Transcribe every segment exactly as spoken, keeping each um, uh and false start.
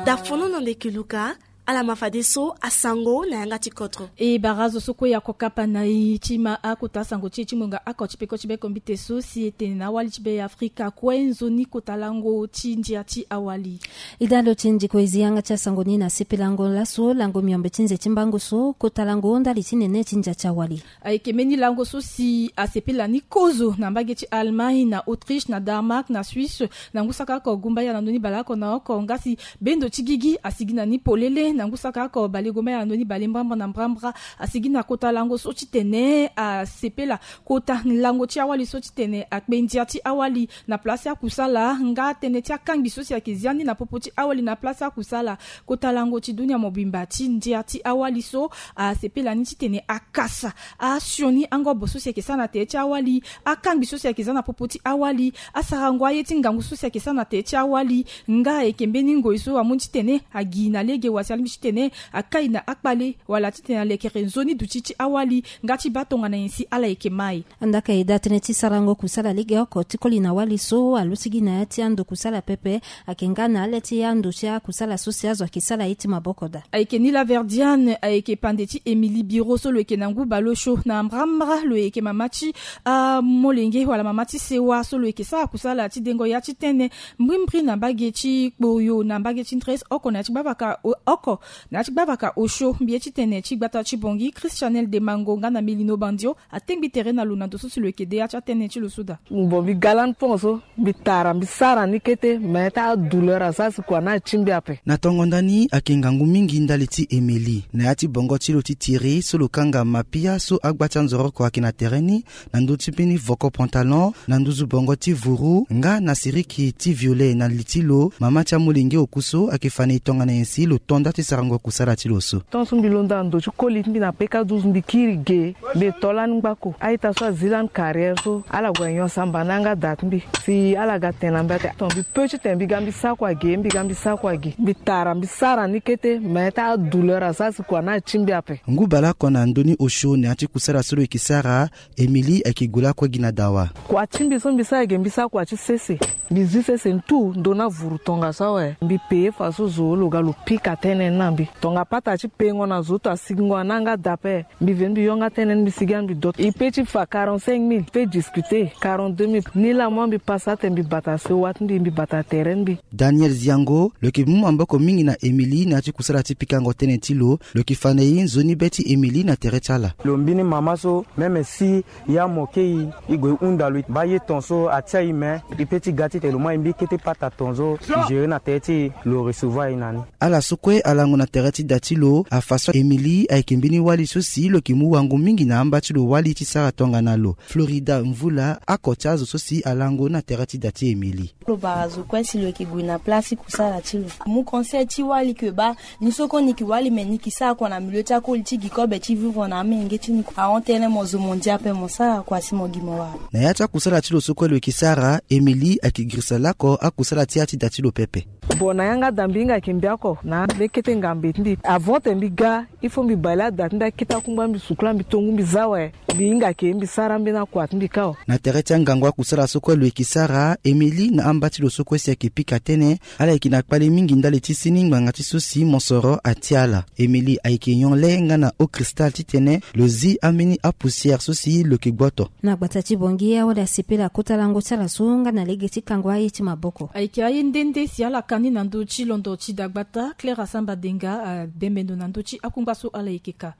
Dafono na ndeke luka. Ala ma fadeso asango na yanga ti kotro. E barazo so kue ya kokapa na e ti ma akota asango ti e ti ngonga oko ti peko ti beko mbite so si e tene na awali ti be afrika kue nzoni kota lango ti ndia ti awali. E dalo ti ndiko e zi yanga ti asango ni na sepelango laso lango miombe ti nze ti mbango so kota lango ndali ti nene ti ndia ti awali. Ayeke mbeni lango so si asepela ni kozo na mbage ti Allemagne, na Autriche, na Danemark, na Suisse, na ngu saka oko gumbaya na ndoni baleoko na oko nga si bendo ti gigi asigi na ni polele na ngu saka oko balegumbaya na ndoni bale mbrambra na mbrambra. Asigi na kota lango so titene asepela kota lango ti awali so titene akpe ndia ti awali na place akusala nga tënë ti akangbi so si ayeke zia ni na popo ti awali na place akusala. Kota lango ti dunia mobimba ti ndia ti awali so asepela ni titene akasa asioni angobo so si ayeke sara na tere ti awali, akangbi so si ayeke za na popo ti awali, asarango aye ti ngangu so si ayeke sara na tere ti awali. Nga ayeke mbeni ngoi so amu ni titene agi na lege wa si alingbi titene akai na akpale wala titene alekere nzoni duti ti awali nga ti baa tongana nyen si ala yeke mai. Andaka e daa tënë ti sarango kusala legeoko ti koli na wali so alusigi na ya ti ando kusala pepe. Ayeke nga na ale ti ando ti akusala so si azo ayeke sara ye ti maboko daa. Ayeke ni laverdiane ayeke pande ti émilie biro so lo yeke na ngu baleosio na mbrambra lo yeke mama ti amolenge wala mama ti sewa so lo yeke sara kusala ti dengo ya ti tënë mbrimbri na mbage ti kpoyo na mbage ti ndres oko na ya ti gbavaka oko na ya ti gbavaka osio mbi ye ti tene ti gbata ti bongi christianel demango nga na melino bandio. Atengbi tere na lo na ndo so si lo yeke de ya ti atene ti lo so daa. Bon mbi ga lani pon so mbi tara mbi sara ni kete me ti adouleur aza si kua na ti mbi ape. Na tongo ndani ayeke ngangu mingi ndali ti emeli na ya ti bongo ti lo ti tiri so lo kanga mapia so agba ti anzoro oko ayeke na tere ni na ndö ti mbeni voko pantalon na nduzu bongo ti vuru nga na siriki ti violet na li ti lo mama ti amolenge oku so ayeke fa na e tongana nyen si lo to nda ti sarango kusala ti lo so. Tant so mbi londo na ndo ti koli ti mbi na peka douze mbi kiri ge. Mbi to lani ngbako a-ita so azi lani carrière so ala gue nyon samba na yanga da ti mbi si ala ga tene na mbi ate ton mbi pe ti tene mbi ga mbi sa kua ge mbi ga mbi sa kua ge mbi tara mbi sara ni kete me ti adouleur aza si kua na ti mbi ape. Ngu baleoko na ndö ni osio na ya ti kusala so lo yeke sara. Emili ayeke gue lakue gi na dawa. Kua ti mbi so mbi sara ge mbi sara kua ti sese. Mbi zi sese ntu ndo na vuru tongaso awe. Mbi peye faso zo lo ga lo pika tënë ni na mbi. Tongapata ti pengo na zo to asigingo na yanga da ape. Mbi veni mbi yonga tënë ni mbi sigi ani mbi doto e pe ti fa quarante-cinq mille pe discuter quarante-deux mille. Ni laa mo mbi pasa ate mbi bata sewa ti mbi mbi bata tere ni mbi. Daniel ziango lo yeke mu maboko mingi na emili na ya ti kusala ti pikango tënë ti lo. Lo yeke fa na e nzoni be ti emili na tere ti ala. Lo mbini mama so meme si ya mo kei e gue e hunda lo mba ye ton so atia e me e pe ti ga titene lo mu aye mbi kete pata ton so e gere na tere ti e. Lo recevoir e na ni. Ala so kue alango na tere ti da ti lo afa so emili ayeke mbeni wali so si lo yeke mu wango mingi na amba ti lo wali ti sara tongana lo florida mvula ako ti azo so si alango na tere ti da ti emili. Lo bara zo kue si lo yeke gue na place ti kusala ti lo. Mu conseil ti wali ke baa ni so kue ni yeke wali me ni yeke sara kua na milieu ti akoli ti gi kobe ti vivre na amenge ti ni kua ahon tënë mo zo mo ndia ape mo sara kua si mo gi mo wara. Na ya ti akusala ti lo so kue lo yeke sara emili ayeke girisa lako akusala ti ya ti da ti lo pepe. Bon na yanga da mbi hinga yeke mbi oko na mbeni kete ngambe ti mbi avant te mbi ga il faut mbi bale ada ti mbi akete akungba mbi sukula mbi tongu mbi za awe. Mbi hinga yeke mbi sara mbeni akua ti mbi kâ awe. Na tere ti angangu akusala so kue lo yeke sara emili na amba ti lo so kue si ayeke pika tënë. Ala yeke na kpale mingi ndali ti seni ngbanga ti so si mosoro atia ala. Emili ayeke nyon le nga na haut cristal titene lo zi ambeni apoussière so si lo yeke gboto. Na gbata ti bongi awali asepela kota lango ti ala so nga na lege ti kango aye ti maboko. Ayeke aye nde nde si ala ka ni na ndö ti londo ti dagbata claire asamba denga adembe ndo na ndö ti akungba so ala yeke ka.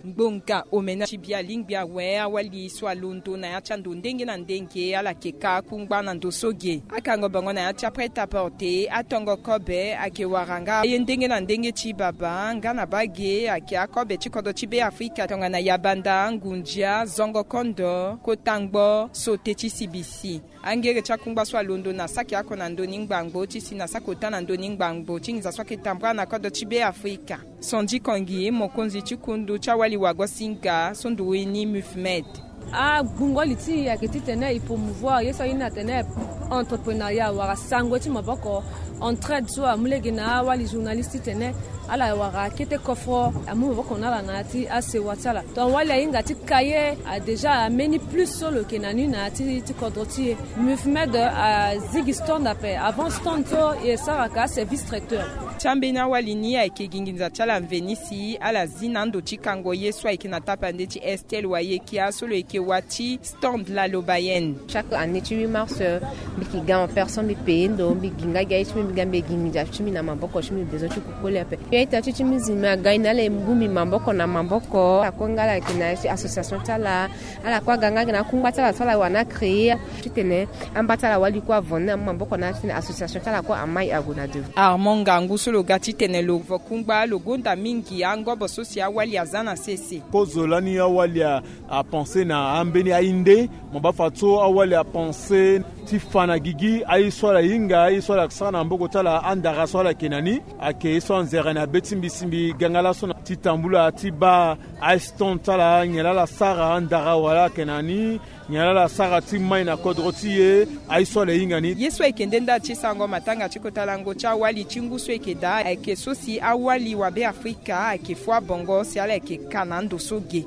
Ngbonga omena ti bia lingbi awe awali so alondo na ya ti ando ndenge na ndenge ala yeke ka akungba na ndo so ge. Akango bango na ya ti aprêt à porter atongo kobe ayeke wara nga aye ndenge na ndenge ti baba nga na baa ge ayeke akobe ti kodro ti be afrika tongana yabanda ngundia zongo kondo kota ngbo sote ti sibisi. Angere ti akungba so alondo na saki oko na ndoni ngbangbo ti si na saki ota na ndoni ngbangbo ti nginza so ayeke tambula na kodro ti be afrika. Sondi kongi mokonzi ti kundu ti awali wago singa so ndurini mufmed. Agbungo li ti e ayeke titene e promouvoir ye so aye ni atene entrepreneuriat wala sango ti maboko, entraide so amu lege na awali journaliste titene ala wara kete kofro amu maboko na ala na ya ti asewa ti ala. Donc wali ahinga ti ka ye, a déjà ameni plus so lo yeke na ni na ya ti ti kodro ti e. Mufmed azigi stand ape. Avant stand so e sara ka service traiteur. Ti ambeni awali ni ayeke gi nginza ti ala mveni si ala zi na ando ti kango ye so ayeke na tapande ti Estelle Wayekia so lo yeke wa ti stand la lobayen. Chaque année ti huit mars, euh, mbi yeke ga en personne, mbi paye ndo, mbi gi nga gi aye ti mbi, mbi ga mbi gi nginza ti mbi na maboko ti mbi, besoin ti kukoli ape. Yo ita ti ti musulman aga ni na ala e bongbi maboko na maboko. Akue nga ala yeke na ya ti association ti ala. Ala kue aga nga gi na akungba ti ala so ala wara ni acréer titene amba ti ala wali kue avandi na maboko na ala titene association ti ala kue amai ague na devant. Armand Ngangu so lo ga titene lo vo kungba lo gonda mingi angobo so si awali aza na sese. Kozo lani awali a apense na ambeni aye nde. Mo baa fadeso awali apense ti fa na gigi aye so ala hinga, aye so ala sara na maboko ti ala, andara so ala yeke na ni. Ayeke ye so anzere na be ti mbi si mbi ga nga laso na ti tambula ti baa aye stand ti ala, nyen laa ala sara, andara wala ala yeke na ni, nyen laa ala sara ti mai na kodro ti e, aye so ala hinga ni. Ye so ayeke nde nda ti sango matanga ti kota lango ti awali ti ngu so ayeke daa ayeke so si awali wabe Afrika ayeke fua bongo si ala yeke ka na ndo so ge.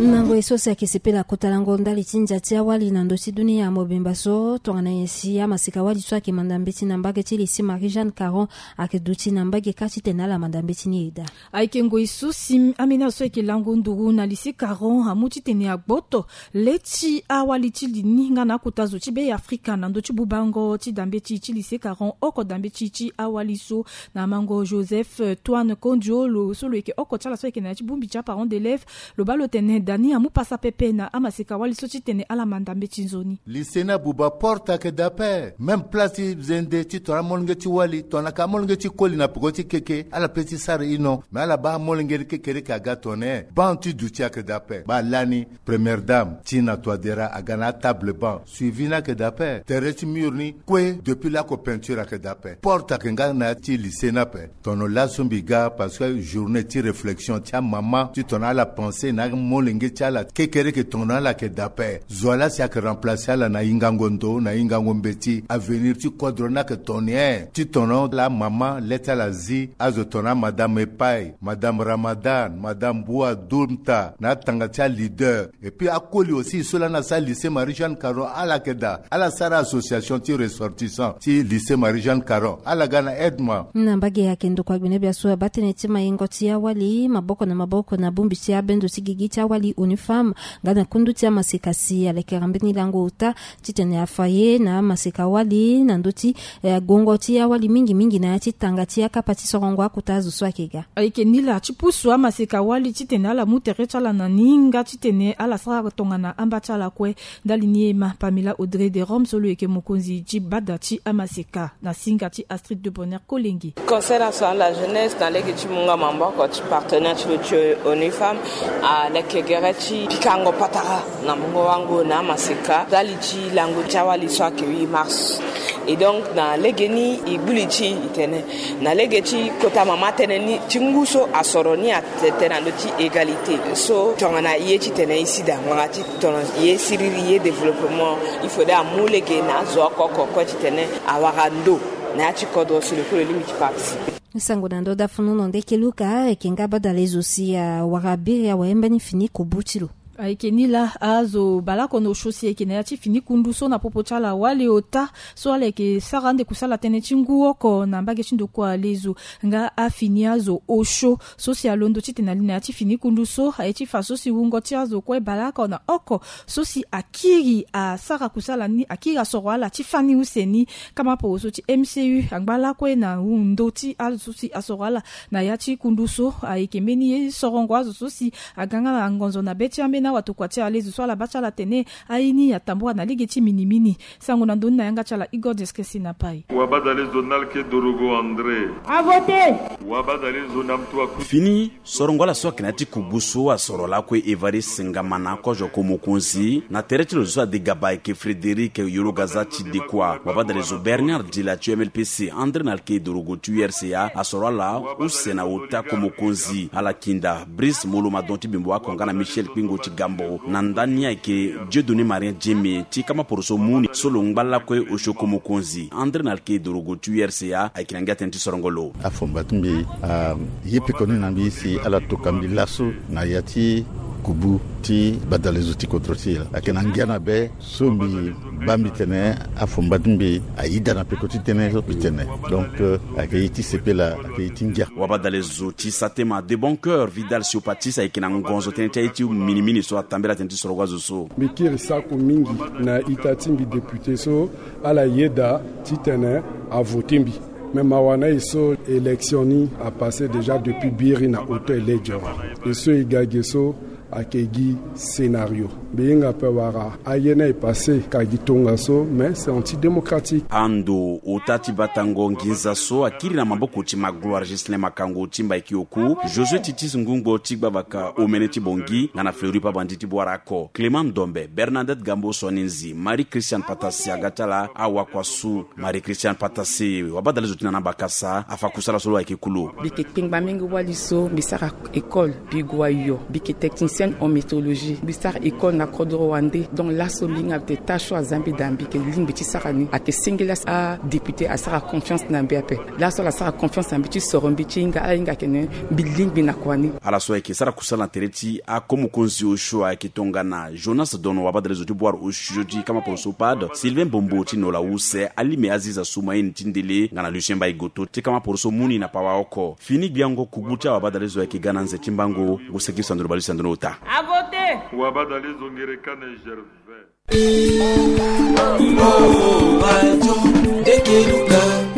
Na ngoi so si ayeke sepela kota lango ndali ti ndia ti awali na ndö ti dunia mobimba so tongana nyen si amaseka wali so ayeke manda mbeti na mbage ti lycée Marie Jeanne Caron ayeke duti na mbage kâ titene ala manda mbeti ni e daa. Ayeke ngoi so si ambeni azo so ayeke lango nduru na lycée Caron amu titene agboto le ti awali ti li ni nga na akota zo ti be Afrika na ndö ti bubango ti dambeti ti lycée Caron, oko dambeti ti awali so na mango Joseph, euh, Toine Kondio lo so lo yeke oko ti ala so ayeke na ya ti bongbi ti aparent d'élève. Lo baa lo tene da ni amu pasa pepe na amaseka wali so titene ala manda mbeti nzoni. Lycée ni abuba, porte ayeke daa ape. Même place ti zende ti tongana amolenge ti wali, tongana ka amolenge ti koli na peko ti keke, ala pe ti sara ino. Mais ala baa amolenge ni kekereke aga tongana banc ti duti ayeke daa ape. Baa lani première dame Tina Touadéra aga na atable banc, suivi ni ayeke daa ape. Tere ti mur ni kue depuis laoko peinture ayeke daa ape. Porte ayeke nga na ya ti lycée ni ape. Tono laso mbi ga parce que journée ti réflexion ti amama ti tongana ala pense na amolenge ti ala kekereke, tongana ala yeke daa ape. Zo wa laa si ayeke remplacer ala na hingango ndo, na hingango mbeti, avenir ti kodro ni ayeke tongana nyen? Ti tongana ala mama le ti ala zi azo tongana madame Epai, madame Ramadan, madame Boua Doumta, na atanga ti aleader. Et puis akoli aussi so lani asara lycée Marie Jeanne Caron, ala yeke daa, ala sara association ti ressortissant ti lycée Marie Jeanne Caron, ala ga na aidement. Na mbage ayeke ndokua gbene bia so abaa tënë ti maingo ti awali maboko na maboko na bongbi ti abendo ti gigi ti awali ONU Femmes nga na kundu ti amaseka si alekera mbeni lango ota titene afa ye na amaseka wali na ndö ti, eh, gongo ti awali mingi mingi na ya ti tanga ti akapa ti sorongo akota azo so ayeke ga. Ayeke ni laa ti pusu amaseka wali titene ala mu tere ti ala na ni nga titene ala sara tongana amba ti ala kue. Ndali ni e ma Pamela Audrey de Rome so lo yeke mokonzi ti bada ti amaseka na singa ti Astrid de Bonheur Kolenge. Concernant sur la jeunesse, na lege ti mu nga maboko ti partenaire ti lo ti ONU Femmes, aleke gere ti pikango patara na mungo wango na amaseka ndali ti lango ti awali so ayeke huit mars. Et donc na lege ni e gbu li ti e tene na lege ti kota mama tënë ni ti ngu so asoro ni atene na ndö ti égalité. So tongana ye titene e si daa ngbanga ti tongana ye siriri ye développement, il faudrait amu lege na azo oko oko kue titene awara ndo na ya ti kodro si lo kue lo lingbi ti participer. Sango na ndö dafunu na nde keluka ayeke nga badale zo si awara biri awe mbeni fini kobu ti lo. Ayeke ni laa azo baleoko na osio si ayeke na ya ti fini kundu so na popo ti ala wali ota so ala yeke sara ande kusala tënë ti ngu oko na mbage ti ndokua lezo nga afini azo osio so si alondo titene ali na ya ti fini kundu so aye ti fa so si wungo ti azo kue baleoko na oko so si akiri asara kusala ni, akiri asoro ala ti fani use ni. Kama poro so ti M C U angba lakue na ndo ti azo so si asoro ala na ya ti kundu so ayeke mbeni ye sorongo azo so si aga nga na ngonzo na be ti ambeni Na watokua ti alezo so ala baa ti ala atene aye ni atambua na lege ti minimini. Sango na ndoni na yanga ti ala Igor Deskesi na pai. Wabadalezo Nalke Dorogo André. A voter. Wabadalezo na mtu aku. Fini sorongo ala so ayeke na ya ti kubu so asoro lakue Evariste Ngamana kozo ko mokonzi na tere ti lo zo so ade gaba ayeke Frédéric Yologaza ti Dekua. Wabadalezo Bernard Dila ti U M L P C, André Nalke Dorogo ti U R C A asoro ala use na ota ko mokonzi. Ala kinda Brice Molo Madon ti Bembo Ako nga na Michel Kpingo ti Gambo. Na ndani ayeke Dieudonné Marien Dieme ti kama poroso mu ni so lo ngba lakue osio ko mokonzi. André Nalke Dorogo ti U R C A ayeke na ngia tënë ti sorongo lo. Afomba ti mbi, ah, ye pekoni na mbi si ala toka mbi laso na ya ti kubu ti badalezo ti kodro ti e laa. Ayeke na ngia na be so mbi baa mbi tene afomba ti mbi ayida na peko ti tënë so mbi tene. Donc, euh, ayeke ye ti sepela, ayeke ye ti ngia. Wabadalezo ti Satema de bon cœur Vidal Siopatis ayeke na ngonzo tënë ti aye ti minimini so atambela tënë ti sorongo azo so. Mbi kiri sako mingi na ita ti mbi député so ala yeda titene avote mbi. Me mawa na e so élection ni apasse déjà depuis biri na auto election. E so e ga ge so ayeke gi scénario. Mbi hinga ape wara aye ni aye passe ka gi tongaso, mais c'est antidémocratique. Ando ota ti batango nginza so akiri na maboko ti Magloire Ghislain Makango ti Mbaiki Oku, Josué Titis Ngungbo ti Gbavaka Omene ti Bongi nga na Fleury Pabandi ti Boarako, Clément Ndombe, Bernadette Gambo Soninzi, Marie Christiane Patasi aga ti ala awakua su. Marie Christiane Patasi, wabadalezo ti na na bakasa afa kusala so lo ayeke kulu. Mbi yeke kpengba mingi wali so mbi sara école, mbi gue ayo, mbi yeke technicienne en métrologie, mbi sara école na kodro wande. Donc laso mbi hinga mbi tene tâche so aza mbi daa mbi yeke lingbi ti sara ni. Ayeke senge laso adéputé asara confiance na mbi ape. Laso ala sara confiance na mbi ti soro mbi ti hinga ala hinga ayeke ne mbi lingbi na kua ni. Ala so ayeke sara kusala na tere ti akomokonzi osio ayeke tongana Jonas Dono wabadalezo ti Boire osio ti kama poroso Pade, Sylvain Bombo ti Nola Use, Alime Aziza Soumaine ti Ndele nga na Lucien Mbaye Goto ti kama poroso Muni na Pawa oko. Fini gbiango kubu ti awabadalezo ayeke ga na nze ti mbango. Ngu seki sandoro baleuse na ndoni ota. A voter. Wabadalezo Ngerekane Gervais.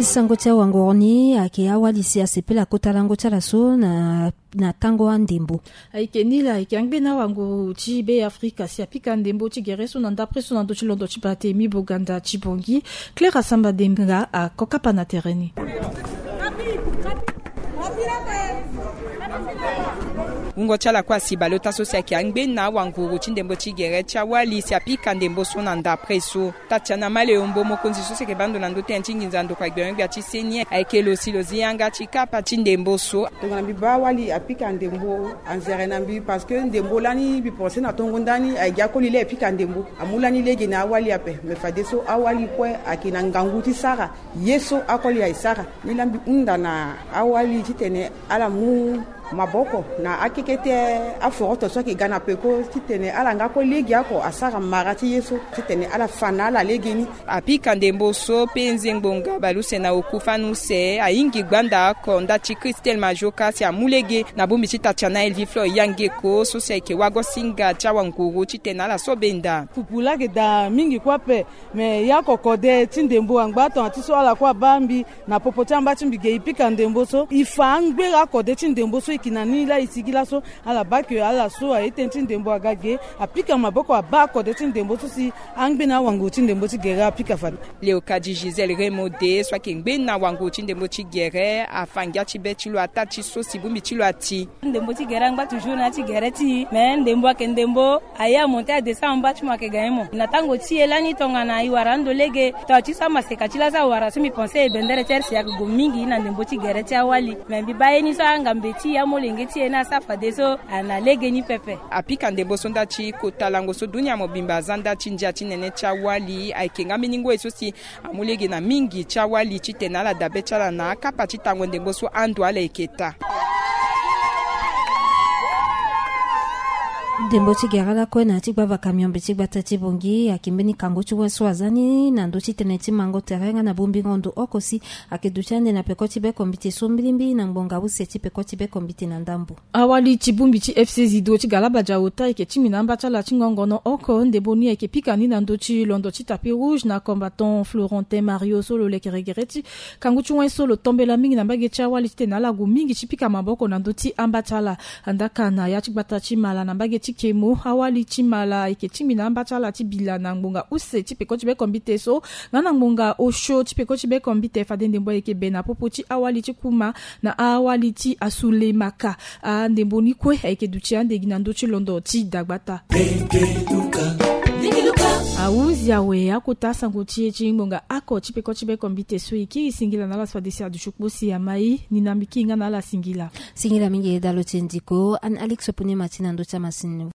Sango ti awanguru ni ayeke awali si asepela kota lango ti ala so na na tango andembo. Ayeke ni la ayeke angbeni awanguru ti Be Afrika si apika ndembo ti gere so na ndapre so na ndö ti londo ti Barthélemy Boganda ti Bongi. Claire Asamba Denga akokapa na tere ni. Wungo ti ala kue asi baleota so si ayeke angbeni na awanguru ti ndembo ti gere ti awali si apika ndembo so na ndapre so. Tatiana Maleombo mokonzi so si ayeke baa ndo na ndö tënë ti nginza ndokua gbia gbia ti seni ayeke lo si lo zi yanga ti kapa ti ndembo so. Tongana mbi baa awali apika ndembo anzere na mbi parce que ndembo lani mbi pense na tongo ndani ayeke gi akoli laa e pika ndembo. Amu lani lege na awali ape me fadeso awali kue ayeke na ngangu ti sara ye so akoli aye sara. Ni laa mbi hunda na awali titene ala mu maboko na akeke ti aforoto so ayeke ga na peko titene ala nga kue lege oko asara mara ti ye so titene ala fa na ala lege ni. Apika ndembo so pe nzengbo nga baleuse na oku fani use ahingi gbanda oko nda ti Christelle Majoka si amu lege na bongbi ti Tatiana Elvie Fleur Yangeko so si ayeke wagosinga ti awanguru titene ala so benda. Pupu laa ayeke daa mingi kue ape. Me ya oko kode ti ndembo angba tongana ti so ala kue abaa mbi na popo ti amba ti mbi ge e pika ndembo so e fa angbeni akode ti ndembo so e yeke na ni laa e sigi laso. Ala baa ke ala so aye tënë ti ndembo aga ge apika maboko abaa akode ti ndembo so si angbeni awanguru ti ndembo ti gere apika fade. Léocadie Gisèle Remode so ayeke ngbeni awanguru ti ndembo ti gere afa ngia ti be ti lo ataa ti so si bongbi ti lo ati. Ndembo ti gere angba toujours na ya ti gere ti e. Me ndembo ayeke ndembo aye amonte adescend amba ti mo ayeke ga nyen mo. Na tango ti e lani tongana e wara ando lege tongana ti so amaseka ti laso awara so mbi pense e bendere ti R C A ayeke gue mingi na ndembo ti gere ti awali. Me mbi baa ye ni so angambe ti e amolenge ti e ni asa fadeso ana lege ni pepe. Apika ndembo so nda ti kota lango so dunia mobimba aza nda ti ndia ti nene ti awali ayeke nga mbeni ngoi so si amu lege na mingi ti awali titene ala dabe ti ala na akapa ti tango ndembo so ando ala yeke taa. Ndembo ti gere lakue na ya ti gbavaka miombe ti gbata ti Bongi ayeke mbeni kango ti wen so aza ni na ndö ti tënë ti mango tere nga na bongbingo ndo oko si ayeke duti ande na peko ti bekombiti so mbilimbili na ngbonga use ti peko ti bekombiti na ndambo. Awali ti bongbi ti F C Zido ti Galabadia ota ayeke tingbi na amba ti ala ti ngongono oko ndembo ni ayeke pika ni na ndö ti londo ti tapis rouge na combattant Florentin Mario so lo lekere gere ti kangu ti wen so lo tombela mingi na mbage ti awali titene ala gue mingi ti pika maboko na ndö ti amba ti ala. Andaka na ya ti gbata ti Mala na mbage ti kemo, awali ti mala ayeke tingbi na amba ti ala ti bila na ngbonga use ti peko ti bekombite so, nga na ngbonga osio ti peko ti bekombite fade ndembo ayeke be na popo ti awali ti kuma na awali ti asulemaka. Andembo ni kue ayeke duti ande gi na ndö ti londo ti dagbata. Awuzi awe akota sango ti e ti ngbonga ako ti peko ti bekombite so e kiri singila na ala so fade si aduti kpo si amai ni na mbi kiri nga na ala singila. Singila mingi e dalo ti e ndiko an alix pone ma ti na ndö ti amasini.